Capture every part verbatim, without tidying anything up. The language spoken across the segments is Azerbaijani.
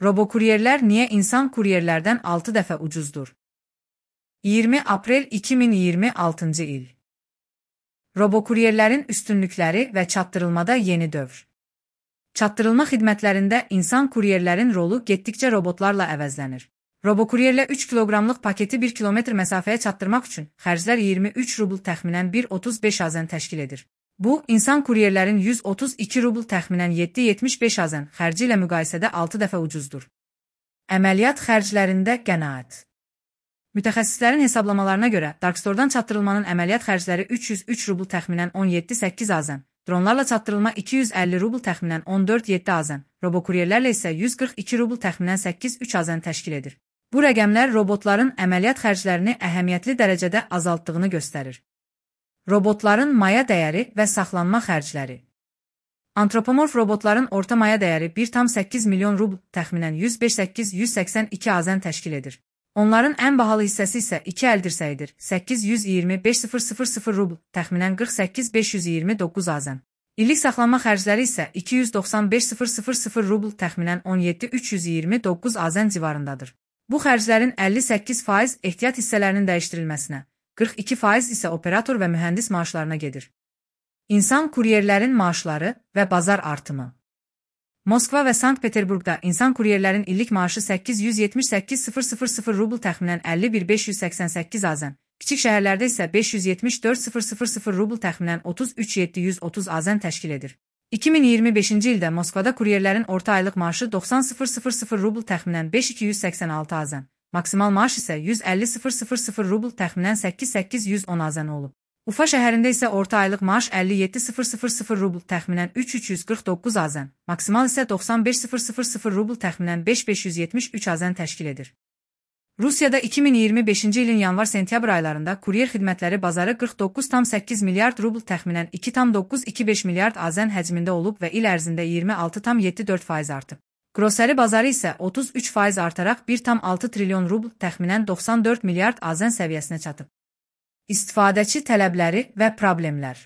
Robokuryerlər niyə insan kuryerlərdən altı dəfə ucuzdur? iyirmi aprel iki min iyirmi altıncı il. Robokuryerlərin üstünlükləri və çatdırılmada yeni dövr. Çatdırılma xidmətlərində insan kuryerlərin rolu getdikcə robotlarla əvəzlənir. Robokuryerlə üç kiloqramlıq paketi bir kilometr məsafəyə çatdırmaq üçün xərclər iyirmi üç rubl təxminən bir otuz beş azən təşkil edir. Bu, insan kuryerlərin yüz otuz iki rubl təxminən yeddi yetmiş beş azən xərci ilə müqayisədə altı dəfə ucuzdur. Əməliyyat xərclərində qənaət. Mütəxəssislərin hesablamalarına görə, Darkstore'dan çatdırılmanın əməliyyat xərcləri üç yüz üç rubl təxminən on yeddi səkkiz azən, dronlarla çatdırılma iki yüz əlli rubl təxminən on dörd yeddi azən, robokuryerlərlə isə yüz qırx iki rubl təxminən səkkiz üç azən təşkil edir. Bu rəqəmlər robotların əməliyyat xərclərini əhəmiyyətli dərəcədə azaltdığını göstərir. Robotların maya dəyəri və saxlanma xərcləri. Antropomorf robotların orta maya dəyəri bir tam səkkiz milyon rubl təxminən yüz beş min səkkiz yüz səksən iki azən təşkil edir. Onların ən bahalı hissəsi isə iki əl dirsəyidir, səkkiz yüz iyirmi beş min rubl, təxminən qırx səkkiz min beş yüz iyirmi doqquz azən. İllik saxlanma xərcləri isə iki yüz doxsan beş min rubl, təxminən on yeddi min üç yüz iyirmi doqquz azən civarındadır. Bu xərclərin əlli səkkiz faiz ehtiyat hissələrinin dəyişdirilməsinə, qırx iki faiz isə operator və mühəndis maaşlarına gedir. İnsan kuryerlərin maaşları və bazar artımı. Moskva və Sankt-Peterburqda insan kuryerlərin illik maaşı səkkiz yüz yetmiş səkkiz min rubl təxminən əlli bir min beş yüz səksən səkkiz azən, kiçik şəhərlərdə isə beş yüz yetmiş dörd min rubl təxminən otuz üç min yeddi yüz otuz azən təşkil edir. iki min iyirmi beşinci ildə Moskvada kuryerlərin orta aylıq maaşı doxsan min rubl təxminən beş min iki yüz səksən altı azən, maksimal maaş isə yüz əlli min rubl təxminən səkkiz min səkkiz yüz on azən olub. Ufa şəhərində isə orta aylıq maaş əlli yeddi min rubl təxminən üç min üç yüz qırx doqquz azən, maksimal isə doxsan beş min rubl təxminən beş min beş yüz yetmiş üç azən təşkil edir. Rusiyada iki min iyirmi beşinci ilin yanvar-sentyabr aylarında kuryer xidmətləri bazarı qırx doqquz tam səkkiz milyard rubl təxminən iki tam doqquz iki beş milyard azən həcmində olub və il ərzində iyirmi altı tam yeddi dörd faiz artıb. Qroseri bazarı isə otuz üç faiz artaraq bir tam altı trilyon rubl təxminən doxsan dörd milyard azən səviyyəsinə çatıb. İstifadəçi tələbləri və problemlər.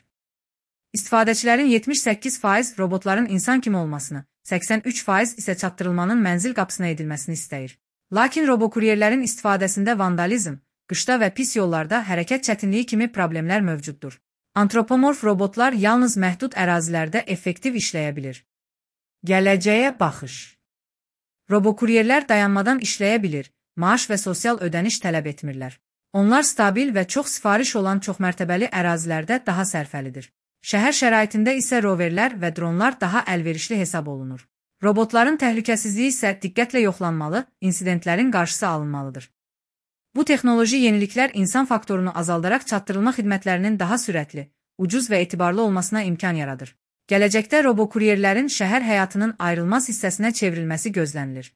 İstifadəçilərin yetmiş səkkiz faiz robotların insan kimi olmasını, səksən üç faiz isə çatdırılmanın mənzil qapısına edilməsini istəyir. Lakin robokuryerlərin istifadəsində vandalizm, qışda və pis yollarda hərəkət çətinliyi kimi problemlər mövcuddur. Antropomorf robotlar yalnız məhdud ərazilərdə effektiv işləyə bilir. Gələcəyə baxış. Robokuryerlər dayanmadan işləyə bilir, maaş və sosial ödəniş tələb etmirlər. Onlar stabil və çox sifariş olan çoxmərtəbəli ərazilərdə daha sərfəlidir. Şəhər şəraitində isə roverlər və dronlar daha əlverişli hesab olunur. Robotların təhlükəsizliyi isə diqqətlə yoxlanmalı, insidentlərin qarşısı alınmalıdır. Bu texnoloji yeniliklər insan faktorunu azaldaraq çatdırılma xidmətlərinin daha sürətli, ucuz və etibarlı olmasına imkan yaradır. Gələcəkdə robokuryerlərin şəhər həyatının ayrılmaz hissəsinə çevrilməsi gözlənilir.